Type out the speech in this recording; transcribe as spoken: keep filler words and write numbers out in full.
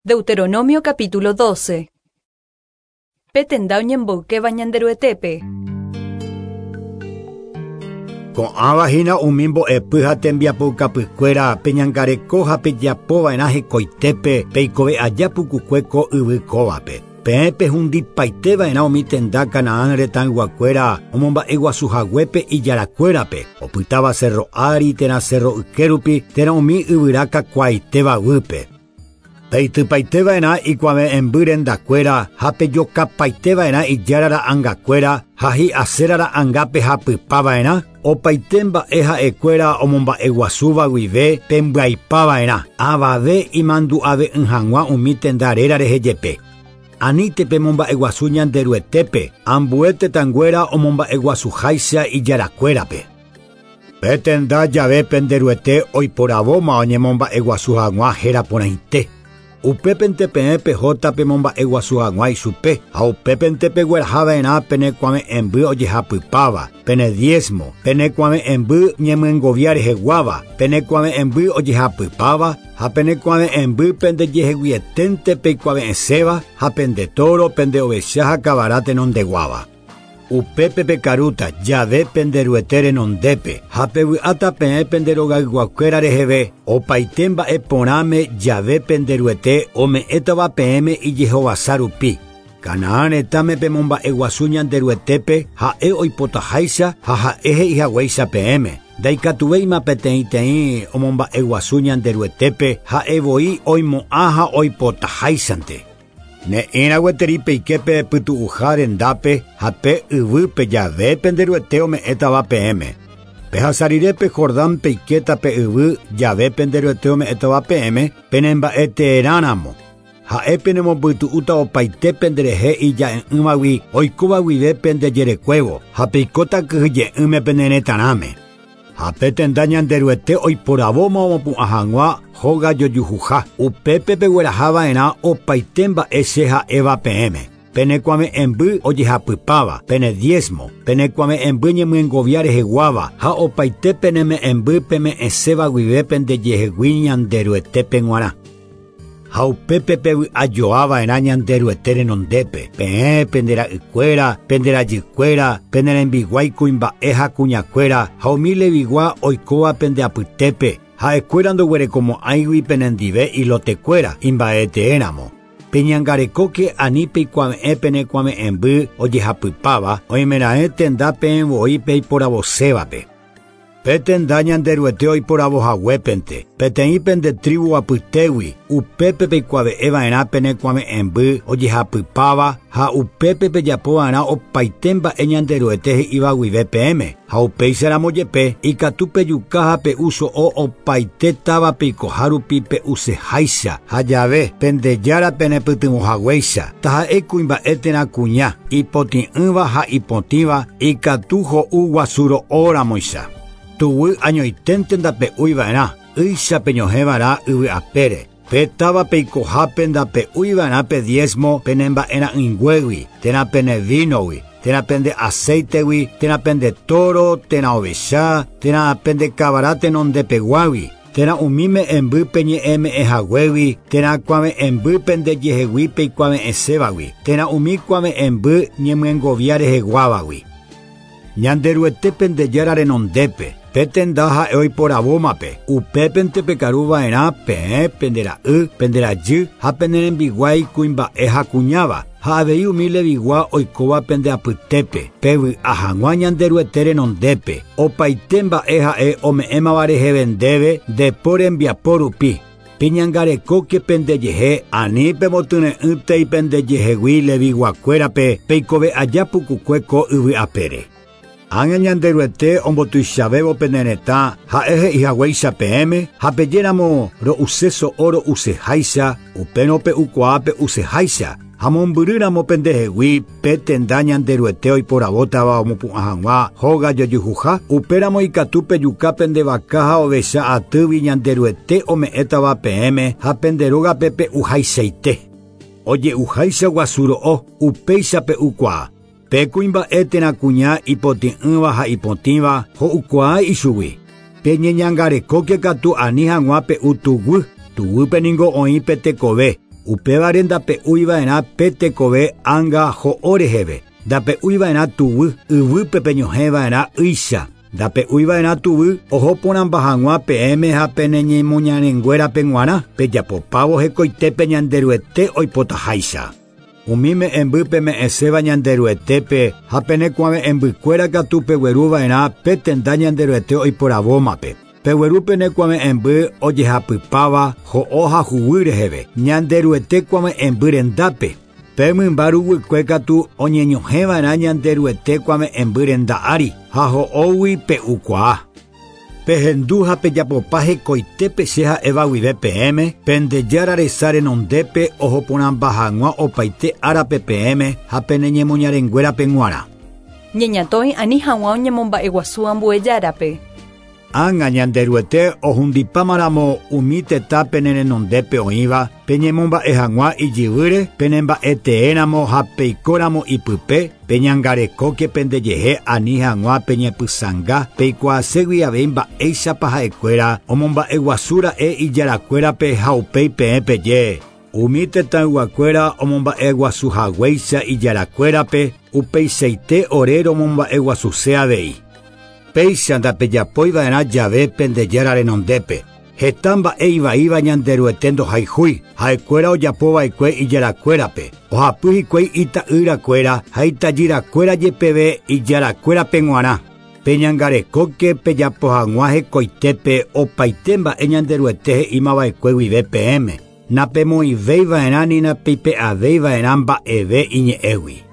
Deuteronomio capítulo doce. Pe tenda oñemboykéva Ñanderuetépe. Ko'ãva hína umi mbo'epy ha tembiapoukapykuéra peñangareko ha pejapova'erã hekoitépe peikove aja pukukue ko yvy kóvape. Peẽ pehundipaiteva'erã umi tenda Canaán retãyguakuéra omomba'eguasuhaguépe ijarakuérape, opytáva cerro ári térã cerro ykérupi térã umi yvyra kakuaaitéva guýpe. Peitypaiteva'erã ikuave'ẽmby rendakuéra ha pejokapaiteva'erã ijára ra'ãngakuéra ha hi'asera ra'ãngápe hapypava'erã, opaite mba'e ha'ekuéra omomba'eguasúva guive pembyaipava'erã, avave imandu'ave'ỹ hag̃ua umi tenda réra rehe jepe. Aníte pemomba'eguasu Ñanderuetépe, ambue tetãnguéra omomba'eguasuháicha ijarakuérape. Pe tenda jave penderuete oiporavóma oñemomba'eguasu hag̃ua héra porãite. Upépente peẽ pehóta pemomba'eguasu hag̃ua ichupe, ha upépente peguerahava'erã penekuave'ẽmby ojehapypáva, pene diezmo, penekuave'ẽmby ñemyengovia reheguáva, penekuave'ẽmby ojehapypáva, ha penekuave'ẽmby pendejeheguieténte peikuave'ẽséva, ha pende toro, pende ovecha ha kavara tenondeguáva. Upépe pekarúta jave penderuete renondépe, ha pevy'áta peẽ penderogayguakuéra reheve, opaite mba'e porãme jave penderuete ome'ẽtava peẽme ijehovasa rupi. Canaán retãme pemomba'eguasu Ñanderuetépe ha'e oipotaháicha ha ha'e he'ihaguéicha peẽme. Ndaikatuvéima peteĩteĩ omomba'eguasu Ñanderuetépe ha'evoi oimo'ã ha oipotaháichante. Ne'ĩra gueteri peiképe pytu'uha rendápe ha pe yvýpe jave penderuete ome'ẽtava peẽme. Pehasa rire pe Jordán peikéta pe yvy jave penderuete ome'ẽtava peẽme penemba'eteerãramo. Ha'e penemopytu'úta opaite penderehe ija'e'ỹvagui oikóva guive pendejerekuévo ha peikóta kyhyje'ỹme peneretãrãme. Ha pe tenda Ñanderuete oiporavóma omopu'ã hag̃ua hóga jojuhuha, upépe peguerahava'erã opaite mba'e che ha'éva peẽme. Penekuave'ẽmby ojehapypáva, pene diezmo, penekuave'ẽmby ñemyengovia reheguáva ha opaite peneme'ẽmby peme'ẽséva guive pendejehegui Ñanderuetépe g̃uarã. Ha upépe pevy'ajoava'erã Ñanderuete renondépe, peẽ pendera'ykuéra, penderajykuéra, penerembiguái kuimba'e ha kuñakuéra ha umi levigua oikóva pendeapytépe, ha'ekuéra ndoguerekomo'ãigui penendive ilotekuéra imba'eteéramo. Peñangarekóke ani peikuave'ẽ penekuave'ẽmby ojehapypáva oimeraẽ tenda peẽvoi peiporavosévape. Pe tenda Ñanderuete oiporavohaguépente, peteĩ pende tribu apytégui, upépe peikuave'ẽva'erã penekuave'ẽmby ojehapypáva ha upépe pejapova'erã opaite mba'e Ñanderuete he'íva guive peẽme, ha upéicharamo jepe ikatu pejuka ha pe'u so'o opaite táva peikoha rupi pe'useháicha ha jave pendejára penepytyvõhaguéicha, taha'e kuimba'e térã kuña, ipotĩ'ỹva ha ipotĩva ikatu ho'u guasuro'óramoicha. Tuguy añoiténte ndape'úiva'erã, ýicha peñohẽva'erã yvy'apére. Pe táva peikohápe ndape'úiva'erã pe diezmo penemba'era'ỹinguégui, térã pene vínogui, térã pende aceitegui, térã pende toro, térã ovecha, térã pende kavara tenondepeguágui, térã umi me'ẽmby peñe'ẽme'ẽhaguégui, térã kuave'ẽmby pendejehegui peikuave'ẽsévagui, térã umi kuave'ẽmby ñemyengovia reheguávagui. Ñanderuete pendejára renondépe, pe tenda ha'e oiporavómape, upépente pekaruva'erã peẽ pendera'y, penderajy ha penerembiguái kuimba'e ha kuñáva, ha avei umi levigua oikóva pendeapytépe, pevy'a hag̃ua Ñanderuete renondépe, opaite mba'e ha'e ome'ẽmava reheve ndéve ndepo rembiapo rupi. Peñangarekóke pendejehe ani pemotyre'ỹtei pendejehegui leviguakuérape peikove aja pukukue ko yvy apére. Ág̃a Ñanderuete ombotuichavévo pene retã ha'e he'ihaguéicha peẽme ha pejéramo ro'use so'o ro'useháicha, upérõ pe'ukuaa pe'useháicha, ha mombyrýramo pendehegui pe tenda Ñanderuete oiporavótava omopu'ã hag̃ua hóga jojuhuha, upéramo ikatu pejuka pende vaka ha ovecha atýgui Ñanderuete ome'ẽtava peẽme ha pende rógape pe'uhaichaite. Oje'uháicha guasuro'o, upéicha pe'ukuaa. Pe kuimba'e térã kuña ipotĩ'ỹva ha ipotĩva ho'ukuaa ichugui. Peñeñangarekóke katu ani hag̃ua pe'u tuguy, tuguýpe ningo oĩ pe tekove, Upévare ndape'úiva'erã pe tekove ánga ho'o reheve. Ndape'úiva'erã tuguy yvýpe peñohẽva'erã ýicha. Ndape'úiva'erã tuguy oho porãmba hag̃ua peẽme ha peneñemoñarenguérape g̃uarã pejapopávo hekoitépe Ñanderuete oipotaháicha. Umi me'ẽmby peme'ẽséva Ñanderuetépe ha penekuave'ẽmbykuéra katu pegueruva'erã pe tenda Ñanderuete oiporavómape. Pegueru penekuave'ẽmby ojehapypáva ho'o ha huguy reheve Ñanderuete kuave'ẽmby rendápe. Pe mymba ruguykue katu oñeñohẽva'erã Ñanderuete kuave'ẽmby renda ári ha ho'ógui pe'ukuaa. Pehendu ha pejapopa hekoitépe che ha'éva guive peẽme Pendejára resa renondépe oho porãmba hag̃ua opaite árape peẽme ha peneñemoñarenguérape g̃uarã. Ñeñatõi ani hag̃ua oñemomba'eguasu ambue járape. Ág̃a Ñanderuete ohundipámaramo umi tetã penerenondépe oĩva peñemomba'e hag̃ua ijyvýre penemba'eteéramo ha peikóramo ipype peñangarekóke pendejehe ani hag̃ua peñepysãnga peikuaaségui avei mba'éichapa ha'ekuéra omomba'eguasúra'e ijarakuérape ha upéi peẽ peje. Umi tetãyguakuéra omomba'eguasuhaguéicha ijarakuérape upeichaite ore romomba'eguasuse avei. Péicha ndapejapoiva'erã jave Pendejára renondépe. Heta mba'e ivaíva Ñanderuete ndohayhúi ha'ekuéra ojapova'ekue ijarakuérape. Ohapy hikuái ita'yrakuéra ha itajyrakuéra jepeve ijarakuérape g̃uarã. Peñangarekóke pejapo hag̃ua hekoitépe opaite mba'e Ñanderuete he'ímava'ekue guive peẽme. Napemoĩvéiva'erã ni napeipe'avéiva'erã mba'eve iñe'ẽgui.